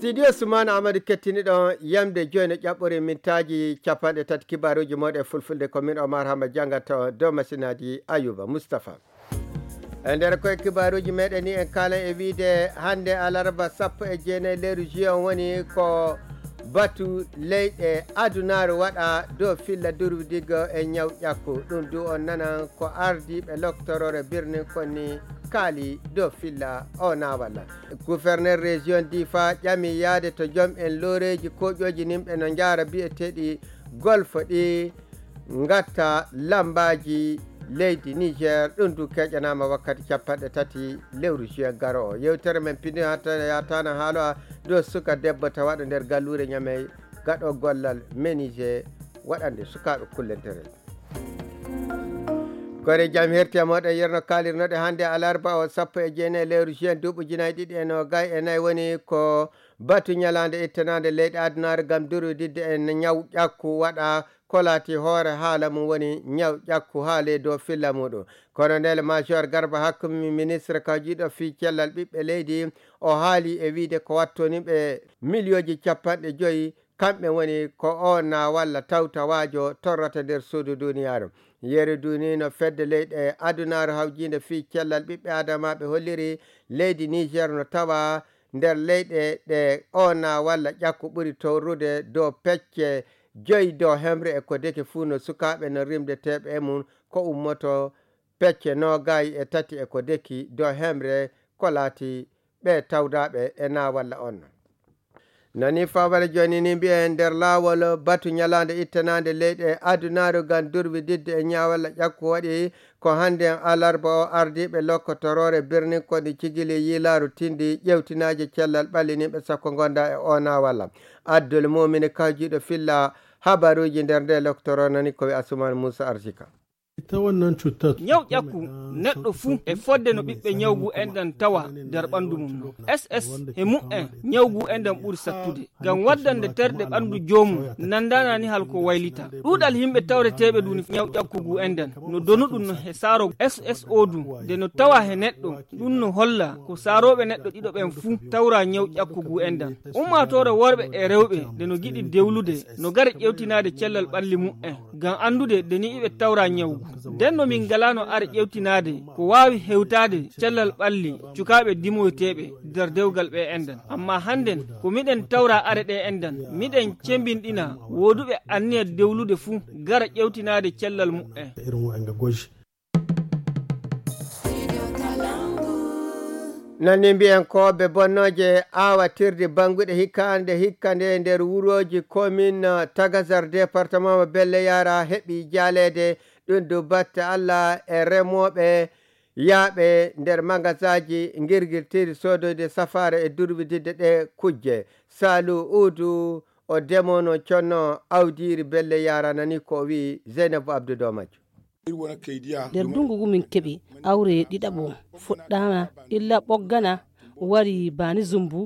studio Sumana Amadou kettiniɗo yamde joyno ƴaɓɓori mintaji 30 kibaruji moɗe fulfulde ko min Omar Hama jangata dow masinaji Ayuba Moustapha. E nder koye kibaruji meɗen ni en kala e wiide hande alarba 19 lewru juin woni ko batu leyɗe adunaru waɗa dow filla durwidigo e ñaw ƴakku ɗum du on nana ko ardiɓe loctorore birnin konni kaali dow filla o na walla. Gouverneur région Difa ƴami yaade to joom en loreji koƴoji nimɓe no jaara biyeteɗi golfo ɗi gatta lambaji leydi Niger ɗum du keƴanama wakkati 30 lewru juin garo o. Yewtere men pindi yatana haalo dow suka debbo tawaɗo nder gallure ñamey gaɗo gollal menuisier waɗande sukaɓe kullentere. Kore jam herti moɗon yerno kalirnoɗe hande alarba o 19 lewru juin duuɓi ujunnaje ɗiɗi e nogas e nayyi woni ko batu ñalande ittanade leyɗe adunaru gam durwididde e ñaw ƴakku waɗa kolati hoore haala mum woni ñaw ƴakku haale dow filla muɗum. Colonel major Garba Hakkumi ministre kawjiɗo fi cellal ɓiɓɓe leydi o haali e wiide ko wattoniɓe milioji 50 kamɓe woni ko o na walla tawtawajo torrata nder suudu duniyaru. Yeru duni no fedde leyɗe adunaru hawjinde fi cellal ɓiɓɓe adamaɓe holliri leydi Niger no tawa nder leyɗe ɗe o na walla ƴakku ɓuri torrude dow pecce 5 dow hemre e ko deke fuu no sukaɓe no rimdeteɓe e mum ko ummoto pecce 23 e ko deki dow hemre ko laati ɓe tawdaɓe e na walla on. Nani fawara joni ni mbiyen nder lawol batu ñalande ittanade leyɗe adunaru gam durwididde e ñawalla ƴakku waɗi ko hande alarba o ardiɓe lokkotorore birnin kodi cigili yilaru tindi ƴewtinaji cellal ɓalliniɓe sakko gonda e ona walla. Abdoul Mumini kawjiɗo filla habaruji nder nde loktoro nani koye Asuman Moussa Arsika. ñaw ƴakku neɗɗo fuu e fodde no ɓiɓɓe ñawgu enɗan tawa nder ɓandu mum no ss e mum'en ñawgu enɗan ɓuri sattude gam waddande terɗe ɓandu joomum nandanani halko waylita. ɗuuɗal himɓe tawreteɓe ɗum ñaw ƴakkugu enɗan no donu ɗum no he saaro sso du nde no tawa he neɗɗo ɗum no holla ko saaroɓe neɗɗo ɗiɗo ɓen fuu tawra ñaw ƴakkugu enɗan. ummatore worɓe e rewɓe nde no giɗi dewlude no gara ƴewtinade cellal ɓalli mum'en gam andude nde ni iɓe tawra ñawgu. nden no min galano are ƴewtinade ko wawi hewtade cellal ɓalli cukaɓe dimoyteɓe nder dewgal ɓe enɗan. amma hannden ko miɗen tawra are ɗe enɗan miɗen cembinɗina woduɓe anniya dewlude fuu gara ƴewtinade cellal mu'en. nani mbiyen koɓe bonnoje awatirde banguɗe hikkande nder wuroji commune Tagazar département mo Belle Yara heɓi jalede ɗum du batte Allah e remoɓe yaaɓe nder magasaji guirguirtiri sodoyde safare e durwididde ɗe kujje. Salou Oudou o demono conno awdiri Belle Yara nani ko wi Zeynabou Abdou Domadio. nder dungugu min keɓi awre ɗiɗaɓo fuɗɗama illa ɓoggana wari bani zumbu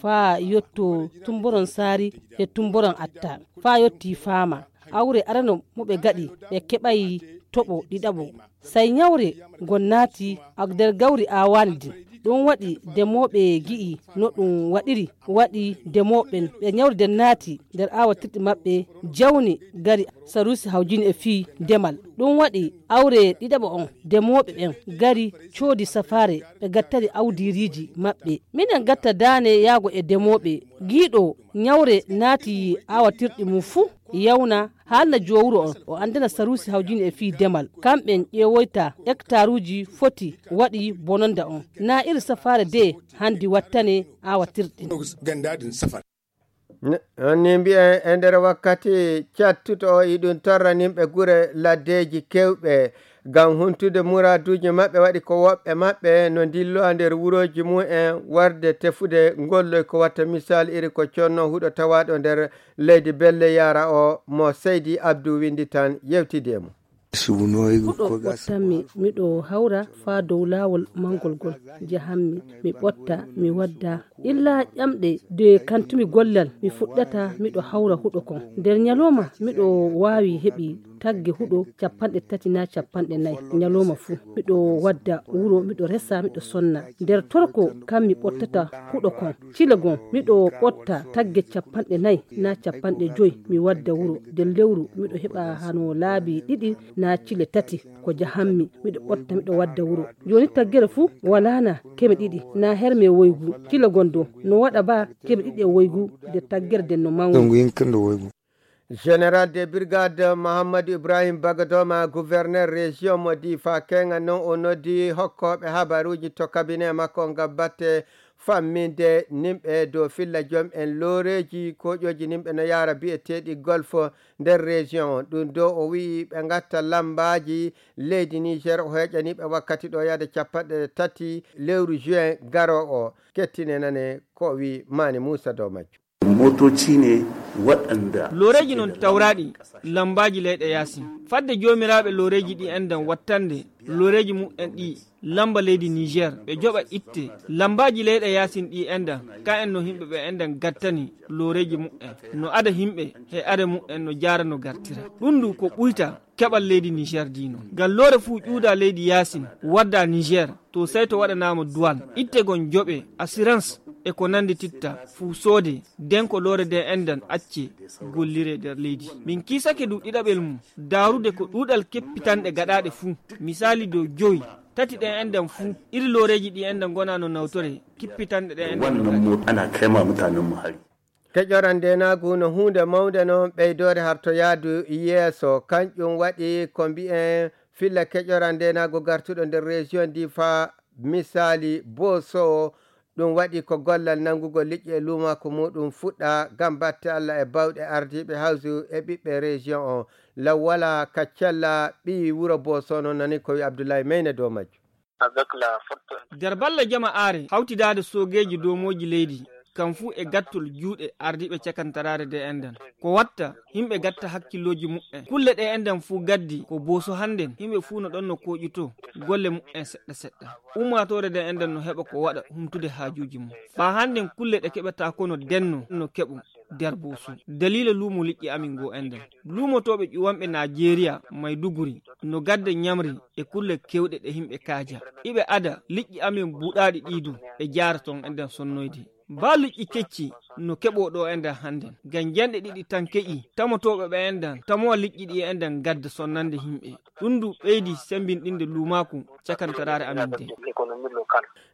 fa yotto tumboron sari e tumboron atta fa yotti fama awre arano moɓe gaɗi ɓe keɓayi toɓo ɗiɗaɓo sai nyawre gonnati nder gawri awaldi ɗum waɗi demoɓe gi'i no ɗum waɗi demoɓen ɓe nyawriden naati nder awatirɗi maɓɓe jawni gari sarusi hawjini e fii demal ɗum waɗi awre ɗiɗaɓo on demoɓe ɓen gari coodi safare ɓe gattari awdiriji maɓɓe minen gatta dane yaago e demoɓe giiɗo nyawre naati awatirɗi mum fuu yawna haalna jowuro on o andana sarusi hawjini e fii demal kamɓen ƴeewoyta hectare uji foti waɗi bononda on na iri safare de handi wattane awatirɗin. ni mbiyen e nder wakkati cattuto o iɗum torranimɓe gure laddeji kewɓe gam huntude muraduji maɓɓe waɗi ko woɓɓe maɓɓe no dillo nder wuroji mumen warde tefude golloy ko watta misal iri ko conno huuɗo tawaɗo nder leydi Belle Yara o mo Seydi Abdou windi tan yewtide mo. huɗo ɓottanmi miɗo hawra fa dow lawol mangol gol jahanmi mi ɓotta mi wadda illa ƴamɗe de kantumi gollal mi fuɗɗata miɗo hawra huɗo kon nder ñaloma miɗo wawi heɓi tagge huɗo 30 na 40 nyaloma fuu miɗo wadda wuro miɗo resa miɗo sonna nder torko kam mi ɓottata huɗo kon cilagon miɗo ɓotta tagge 40 na 50 mi wadda wuro nder lewru miɗo heɓa hano laabi 2 na cile 3 ko jahammi miɗo ɓotta miɗo wadda wuro joni taggere fuu walana keme 2 na herme woygu cilagon do no waɗa ba keme 2 woygu de taggere den no mangu. Général de brigade Mahamadou Ibrahim Bagadoma gouverneur région mo Difa kenga non o noddi hokkoɓe habaruji to cabinet makko ngam batte famminde nimɓe dow filla joom en looreji koƴoji nimɓe no yara bi'eteɗi golf nder région ɗum do o wi ɓe gatta lambaji leydi Niger o heƴaniɓe wakkati ɗo yade 30 lewru juin garo o kettine nane ko wi Mani Moussa dow majju. Motoci ne waɗanda loreji non tawraɗi lambaji leyɗe yaasi fadde jomiraɓe loreji ɗi endan wattande loreji mu'en ɗi lamba leydi Niger ɓe joɓa itte lambaji leyɗe yasin ɗi endan ka en no himɓe ɓe endan gattani loreji mu'en no ada himɓe he are mu'en no jara no gartira ɗum du ko ɓuyta keɓal leydi Niger dino ngal lore fuu ƴuuda leydi yasin wadda Niger to sey to waɗanama douane itte gon joɓe assurance e ko nandi titta fuu soode den ko lore de endan acce gollire nder leydi min kisake du ɗiɗaɓel mum darude ko ɗuɗal keppitanɗe gaɗaɗe fuu misali dow 5 tati ɗen endan fuu iri loreji ɗi endan gona no nawtore kippitanɗe ɗen endan wannan ana kaima mutanen mu hari keƴoran ndenagu no hunde mawde noon ɓeydore harto yaadu yeeso kanƴum waɗi ko mbi'en filla keƴoran ndenagu gartuɗo nder région Difa misali Boso ɗum waɗi ko gollal nangugo liƴƴi e lumako muɗum fuɗɗa gam batte Allah e bawɗe ardiɓe hawsu e ɓiɓɓe région o law wala kaccalla ɓi wuro Boso noon nani ko wi Abdoulaye Meyne dow majju. nder balla jama are hawtidade sogeji domoji leydi kam fuu e gattol juuɗe ardiɓe cakantarare de endan ko watta himɓe gatta hakkilloji mu'en kulle ɗe endan fuu gaddi ko Boso hannden himɓe fuu no ɗon no koƴito golle mu'en seɗɗa seɗɗa ummatore de endan no heɓa ko waɗa humtude haajuji mum fa hannden kulle ɗe keɓata ko no denno no keɓu nder Boso dalila luumo liƴƴi amin go endan luumotoɓe ƴuwanɓe Nigeria Maiduguri no gadda ñamri e kulle kewɗe ɗe himɓe kaaja iɓe ada liƴƴi amin buɗaɗi ɗidu ɓe jara ton endan sonnoyde ba liƴƴi kecci no keɓo ɗo endan hannden ngam janɗe 2 tan keƴi tamotoɓe ɓe endan tamowa liƴƴi ɗi endan gadda sonnande himɓe ɗum du ɓeydi sembinɗinde lumaku cakantarare amin de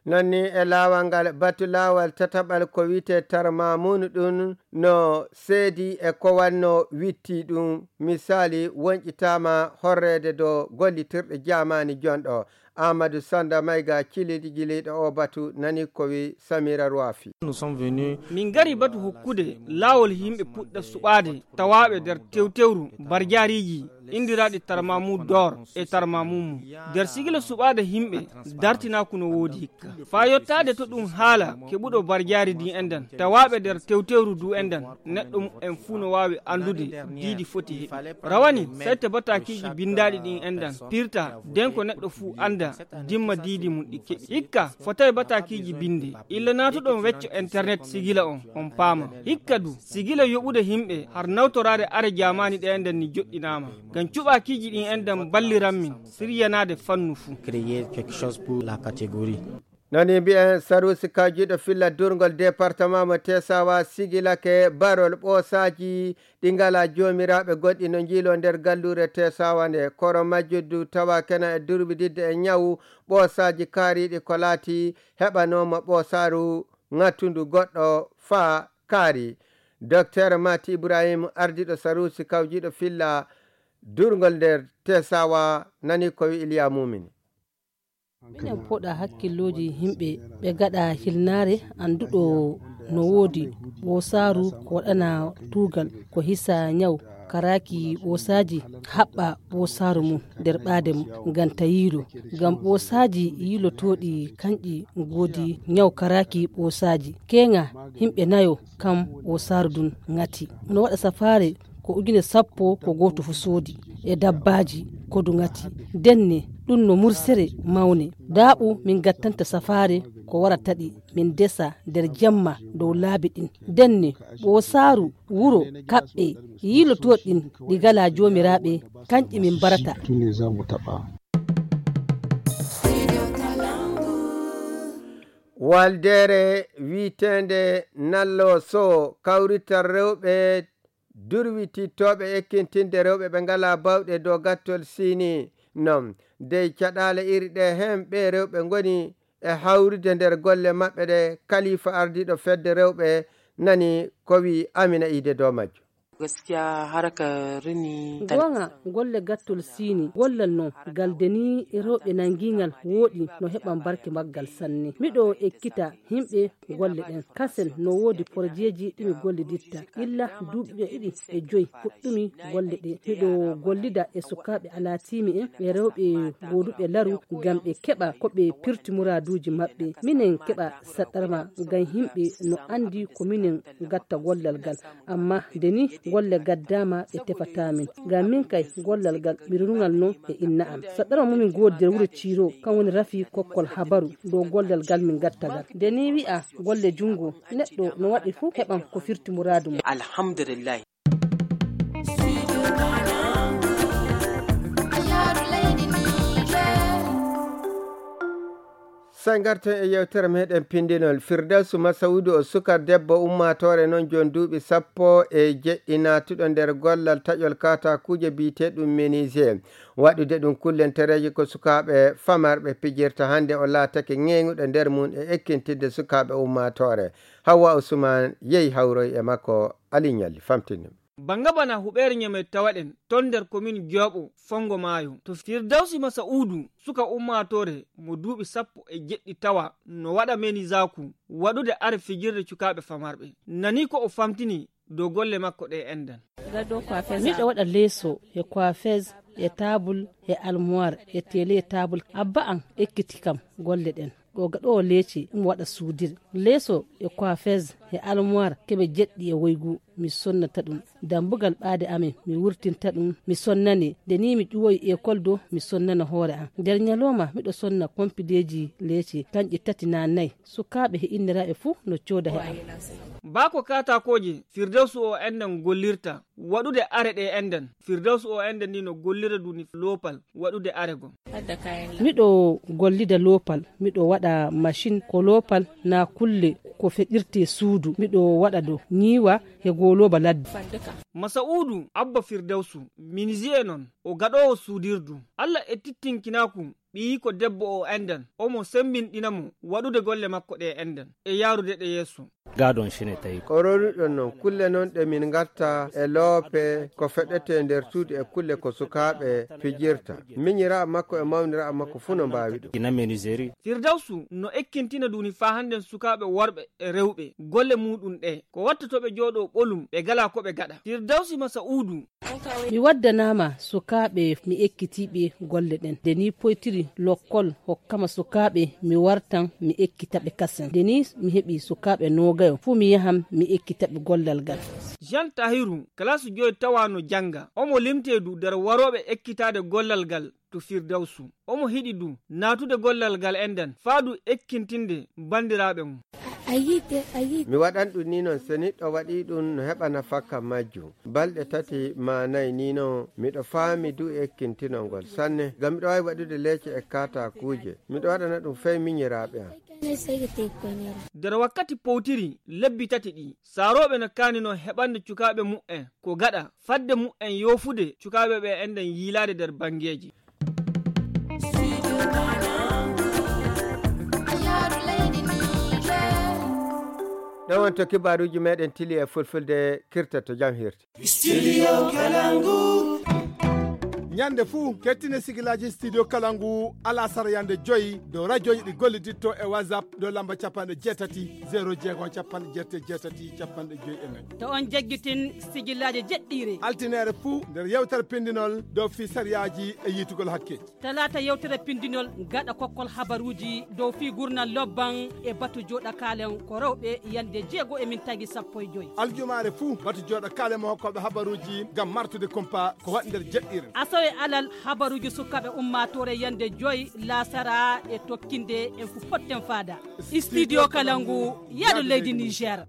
nonni e laawal ngal batu laawal tataɓal ko wiyete tarmamunu ɗum no seedi e ko wanno witti ɗum misali wonƴitama horrede dow gollitirɗe jamani jonɗo Amadou Sanda Mayga cilidi jiliɗo o batu nani ko wi Samira Rouafi. min gari batu hokkude laawol himɓe puɗɗa suɓade tawaɓe nder tewtewru barjariji indiraɗi tarmamu dor e tarmamumu nder sigila suɓade himɓe dartinaku no woodi hikka fa yottade to ɗum haala keɓuɗo barjari di endan tawaɓe nder tewtewru du endan neɗɗo en fuu no wawi andude diidi foti heɓi rawani sette batakiji bindaɗi ɗin endan pirta den ko neɗɗo fuu anda dimma diidi mum ɗi keɓi hikka fotawi batakiji binde illa natuɗon wecco internet sigila on paama hikka du sigila yoɓude himɓe har nawtorade are jamani ɗe endan ni joɗɗinama ngam cuɓakiji ɗin endan balliran min siryanade fannu fuu nani mbi'en Sarusi Kajiɗo filla durgol département mo Tesawa sigilake barol ɓoosaji ɗi ngala jomiraɓe goɗɗi no jiilo nder gallure Tesawa nde koro majjudu tawa kena e durbididde e ñawu ɓoosaji kaariɗi ko laati heɓanoma ɓoosaru ŋattudu goɗɗo faa kaari docteur Mati Ibrahim ardiɗo Sarusi Kawjiɗo filla durgol nder Tesawa nani ko wi Iliya Mumini. minen poɗa hakkilloji himɓe ɓe gaɗa hilnare anduɗo no woodi ɓosaru ko waɗana tugal ko hisa ñaw karaki ɓosaji haɓɓa ɓosaru mum nder ɓaade mum ngam tayiru ngam ɓosaji yilotoɗi kanƴi goodi ñaw karaki ɓosaji kenga himɓe nayo kam ɓosaru dun ngati no waɗa safare ko ujune 10 ko goto fu soodi e dabbaji ko du ngati denne ɗum no mursere mawne daaɓu min gattanta safare ko warataɗi min desa nder jemma dow laabi ɗin denne ɓosaaru wuro kaɓɓe yilotoɗin ɗi gala jomiraɓe kanƴi min barata. Waldere wiitende nallo so kawrital rewɓe durwitittoɓe ekkintinde rewɓe ɓe ngala bawɗe dow gattol sini non dey caɗale iri ɗe hen ɓe rewɓe ngoni e hawrude nder golle maɓɓe ɗe. Kalifa ardiɗo fedde rewɓe nani ko wi Amina Ide dow majjo. gaskiya haraka rini gonga golle gattol sini gollal no galdeni rewɓe nangingal woɗi no heɓan barke maggal sanne. Miɗo ekkita himɓe golle ɗen kasen no wodi porjeji ɗimi golle ditta illa duuɓi 2 e 5 fuɗɗumi golle ɗe. Miɗo gollida e sukaɓe alatimi en ɓe rewɓe goduɓe laru ngam ɓe keɓa ko ɓe pirti muraduji maɓɓe. Minen keɓa saɗɗarma ngam himɓe no andi ko minen gatta gollal gal, amma deni golle gaddama ɓe tefatamin ngam min kay gollal gal ɓirnugal no e inna am. Saɗɗarma mumin godi nder wuro Ciro kan woni Rafi kokkol habaru dow gollal gal min gattagal. Deni wi'a golle jungo neɗɗo no waɗi fu heɓan ko firti muradu mum. Alhamdulillah. Sangarten e yewtere meɗen pindinol. Firdawsu Masawudu o sukar debbo ummatore non jon duuɓi 17 natuɗo nder gollal taƴol katakuje biteɗum menuisier waɗude ɗum kullentereji ko sukaɓe famarɓe pijirta. Hande o laatake ŋeŋuɗo nder mum e ekkintinde sukaɓe ummatore. Hawa Usman yehi hawroy e makko Ali Ñalli famtini. Banga bana huɓere nyame tawaɗen ton nder commune Diobo Fongo Mayo to Firdawsi Masaudu suka ummatore mo duuɓi 17 tawa no waɗa meni zaku waɗude are fijirde cukaɓe famarɓe. Nani ko o famtini dow golle makko ɗe endan. Miɗo waɗa leeso e coiffeuse e table e almoire e télé table. Abba an ekkiti kam golle ɗen ɗo gaɗo leeci ɗum waɗa suudir leeso e coiffeuse e almoire keɓe jeɗɗi e woygu mi sonnata ɗum. Dambugal ɓaade amen mi wurtinta ɗum mi sonnane nde ni mi ƴuwoyi école do mi sonnana hoore am. Nder ñalowma miɗo sonna kompideji leeci kanƴi 3 na 4 sukaɓe he inniraɓe fuu no cooda he am. Bako katakoje Firdawsu o endan gollirta waɗude are ɗe endan. Firdawsu o endan ni no gollira duni lopal waɗude are gon. Miɗo gollida lopal miɗo waɗa machine ko lopal na kulle ko feɗirte suudu miɗo waɗa do ñiwa e goloba ladde. Masaudu Abba Firdawsu menuisier non o gaɗowo suudirdu. Allah e tittinkinaku ɓiyi ko debbo o endan omo sembinɗinamo waɗude golle makko ɗe endan e yarude ɗe yesso. Gadon shine tawi ko roriɗon noon kulle noon ɗe min gatta e loope ko feɗete nder suudu e kulle ko sukaɓe fijirta. Miñira makko e mawnira makko fu no mbawi ɗum. ina menuiserie. Firdawsu no ekkintina duni fa handen sukaɓe worɓe e rewɓe golle muɗum ɗe ko watta to ɓe jooɗo ɓolum ɓe gala ko ɓe gaɗa. Firdawsi Masaudu mi waddanama sukaɓe mi ekkitiɓe golle ɗen deni poytiri lokkol hokkama sukaɓe mi wartan mi ekkitaɓe kasen deni mi heɓi sukaɓe nogayo fu mi yaham mi ekkitaɓe gollal gal. Jean Tahiru classe 5 tawano janga omo limtedu nder waroɓe ekkitade gollal gal to Firdawsu omo hiɗi du natude gollal gal endan faadu ekkintinde bandiraɓe mum. Mi waɗan ɗum ni noon so neɗɗo waɗi ɗum no heɓana fakka majjum balɗe 3 ma 4 ni noon miɗo faami du ekkintinolngol sanne ngam miɗo wawi waɗude leece e katakuje miɗo waɗana ɗum fey miñiraɓe am. nder wakkati powtiri lebbi 3 ɗi saroɓe no kanino heɓande cukaɓe mu'en ko gaɗa fadde mu'en yofude cukaɓe ɓe endan yiilade nder bangeji. ɗon wonto kibaruji meɗen tili e fulfulde kirta to jam hirti. Studio Kalangu. Nyande fuu kettine sigilaji studio Kalangu ala sara yande joyi do radio ɗi golliditto e WhatsApp do lamba 78 0 capanɗe joyi e nayyi. To on jaggitin sigilaji jeɗɗire altinere fuu nder yewtere pindinol dow fi sariyaji e yitugol hakke. talata yewtere pindinol gaɗa kokkol habaruji dow fi gurnal lobban e batu joɗa kalen ko rewɓe yande 6 e min tagi 15. aljumare fuu batu joɗa kalen mo hokkoɓe habaruji gam martude kumpa ko waɗi nder jeɗɗire. e alal habaruji sukaɓe ummatore yande joyi lasara e tokkinde en fu potten fada studio Kalangu yaɗo leydi Niger.